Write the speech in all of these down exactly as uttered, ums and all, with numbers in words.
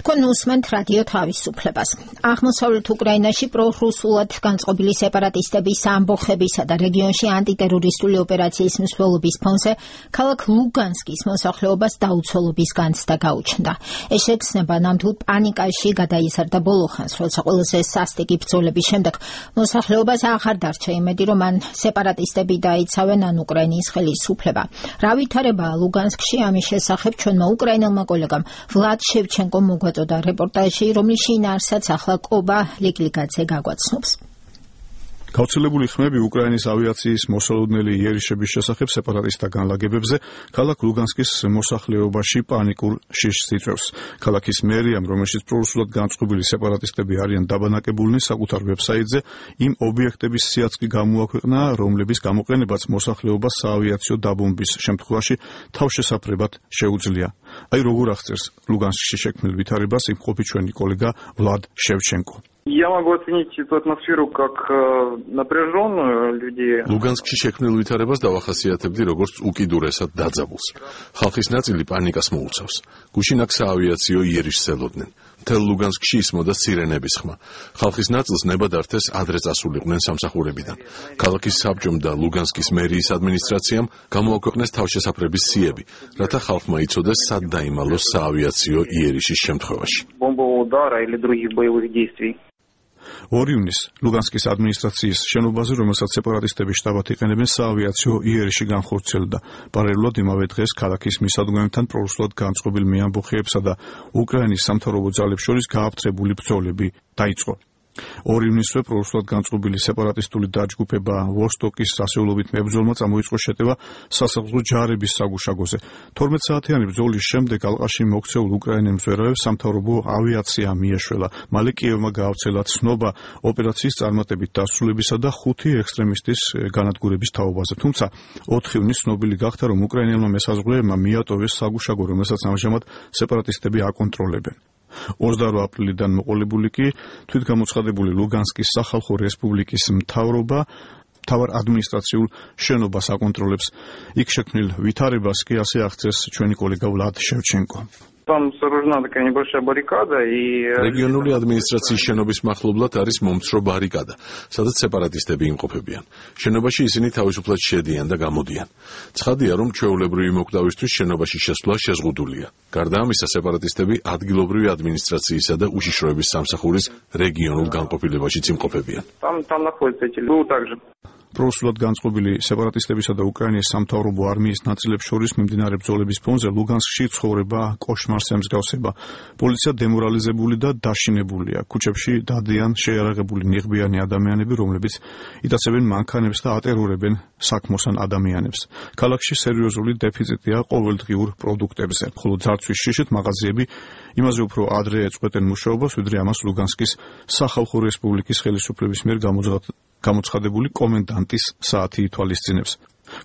თქვენ უსმენთ რადიო თავისუფლებას. აღმოსავლეთ უკრაინაში პრორუსულად განწყობილი სეპარატისტების ამბოხებისა და რეგიონში ანტიტერორისტული ოპერაციის მსვლელობის ფონზე ქალაქ ლუგანსკის მოსახლეობას დაუცველობის განცდა გაუჩნდა. ეს შეგრძნება ნამდვილ პანიკაში გადაიზარდა ბოლო ხანს, როცა ყველაზე სასტიკი ბრძოლების შემდეგ მოსახლეობას აღარ დარჩა იმედი, რომ მან სეპარატისტები დაიცავენ ან უკრაინის ხელისუფლება. რა ვითარებაა ლუგანსკში, ამის შესახებ ჩვენმა უკრაინელმა კოლეგამ ვლად შევჩენკომ მოგვაწოდა რეპორტაჟი, რომლის შინაარსაც ახლა კობა ლიკლიკაძე გაგვაცნობს. გავრცელებული ხმები უკრაინის ავიაციის მოსალოდნელი იერიშების შესახებ სეპარატისტთა განლაგებებზე ქალაქ ლუგანსკის მოსახლეობაში პანიკურ შიშს იწვევს. ქალაქის მერიამ, რომელშიც პრორუსულად განწყობილი სეპარატისტები არიან დაბანაკებულნი, საკუთარ ვებსაიტზე იმ ობიექტების სიაც კი გამოაქვეყნა, რომლების გამოყენებაც მოსახლეობას საავიაციო დაბომბვის შემთხვევაში თავშესაფრებად შეუძლია. აი როგორ აღწერს ლუგანსკში შექმნილ ვითარებას იმყოფი ჩვენი კოლეგა ვლად შევჩენკო. Я могу оценить эту атмосферу как напряженную людей. ლუგანსკში შექმნილ ვითარებას დავახასიათებდი როგორც უკიდურესად დაძაბულს. ხალხის ნაწილი პანიკას მოუწევს. გუშინ აქ საავიაციო იერიშს ელოდნენ. მთელ ლუგანსკში ისმოდა სირენების ხმა. ხალხის ნაწილს ნებადართეს ადრე წასულიყვნენ სამსახურებიდან. ქალაქის საბჭომ და ლუგანსკის მერიის ადმინისტრაციამ გამოაქვეყნეს თავშესაფრების სიები, რათა ხალხმა იცოდეს სად დაიმალოს საავიაციო იერიშის შემთხვევაში. Бомбового удара или других боевых действий. ორი ივნისს ლუგანსკის ადმინისტრაციის შენობაზე, რომელსაც სეპარატისტები შტაბად იყენებენ, საავიაციო იერიში განხორციელდა. პარალელურად იმავე დღეს ქალაქის მისადგომებთან პრორუსულად განწყობილ მეამბოხეებსა და უკრაინის სამთავრობო ძალებს შორის გააფთრებული ბრძოლები დაიწყო. ორი ივნისსვე პრორუსულად განწყობილი სეპარატისტული დაჯგუფება ვოსტოკის სასეულობით მებრძოლმა წამოიწყო შეტევა სასახლო ჯარების საგუშაგოზე. თორმეტ საათიანი ბრძოლის შემდეგ ალყაში მოქცეულ უკრაინელ მზვერავებს სამთავრობო ავიაცია მიეშველა. მალე კიევმა გაავრცელა ცნობა ოპერაციის წარმატებით დასრულებისა და ხუთი ექსტრემისტის განადგურების თაობაზე. თუმცა ოთხი ივნისს ცნობილი გახდა, რომ უკრაინელმა მესაზღვრეებმა მიატოვეს საგუშაგო, რომელსაც ამჟამად სეპარატისტები აკონტროლებენ. ოცდაორი აპრილიდან მოყოლებული კი თვითგამოცხადებული ლუგანსკის სახალხო რესპუბლიკის მთავრობა მთავარ ადმინისტრაციულ შენობას აკონტროლებს. იქ შექმნილ ვითარებას კი ასე აღწერს ჩვენი კოლეგა ვლად შევჩენკო. Там сооружена такая небольшая баррикада и რეგიონული ადმინისტრაციის შენობის მახლობლად არის მომცრო ბარიკადა, სადაც სეპარატისტები იმყოფებიან. შენობაში ისინი თავისუფლად შედიან და გამოდიან. ცხადია, რომ ჩვეულებრივი მოკვდავისთვის შენობაში შესვლა შეზღუდულია. გარდა ამისა, სეპარატისტები ადგილობრივი ადმინისტრაციისა და უშიშროების სამსახურის რეგიონულ განყოფილებაშიც იმყოფებიან. Там там находятся эти люди также. პრორუსულად განწყობილი სეპარატისტებისა და უკრაინის სამთავრობო არმიის ნაწილებს შორის მიმდინარე ბრძოლების ფონზე ლუგანსკში ცხოვრება კოშმარს ემსგავსება. პოლიცია დემორალიზებული და დაშინებულია. ქუჩებში დადიან შეიარაღებული ნიღბიანი ადამიანები, რომლებიც იტაცებენ მანქანებს და ატერორებენ საქმოსან ადამიანებს. ქალაქში სერიოზული დეფიციტია ყოველდღიურ პროდუქტებზე, ხოლო ძარცვის შიშით მაღაზიები იმაზე უფრო ადრე ეწყვეტენ მუშაობას, ვიდრე ამას ლუგანსკის სახალხო რესპუბლიკის ხელისუფლების მიერ გამოცხადებული კომენდანტის საათი ითვალისწინებს.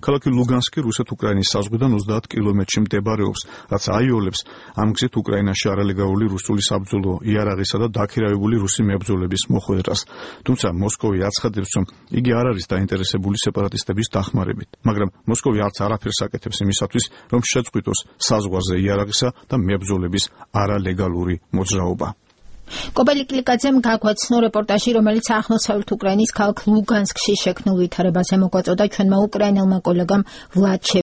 ქალაქი ლუგანსკი რუსეთ-უკრაინის საზღვიდან ოცდაათ კილომეტრში მდებარეობს, რაც აიოლებს ამ გზით უკრაინაში არალეგალური რუსული საბრძოლო იარაღისა და დაქირავებული რუსი მებრძოლების მოხვედრას. თუმცა მოსკოვი აცხადებს, რომ იგი არ არის დაინტერესებული სეპარატისტების დახმარებით, მაგრამ მოსკოვი არც არაფერს აკეთებს იმისათვის, რომ შეწყვიტოს საზღვარზე იარაღისა და მებრძოლების არალეგალური მოძრაობა. კობა ლიკლიკაძემ გაგვაცნო რეპორტაჟი, რომელიც აღმოსავლეთ უკრაინის ქალაქ ლუგანსკში შექმნილ ვითარებაზე მოგვაწოდა ჩვენმა უკრაინელმა კოლეგამ ვლად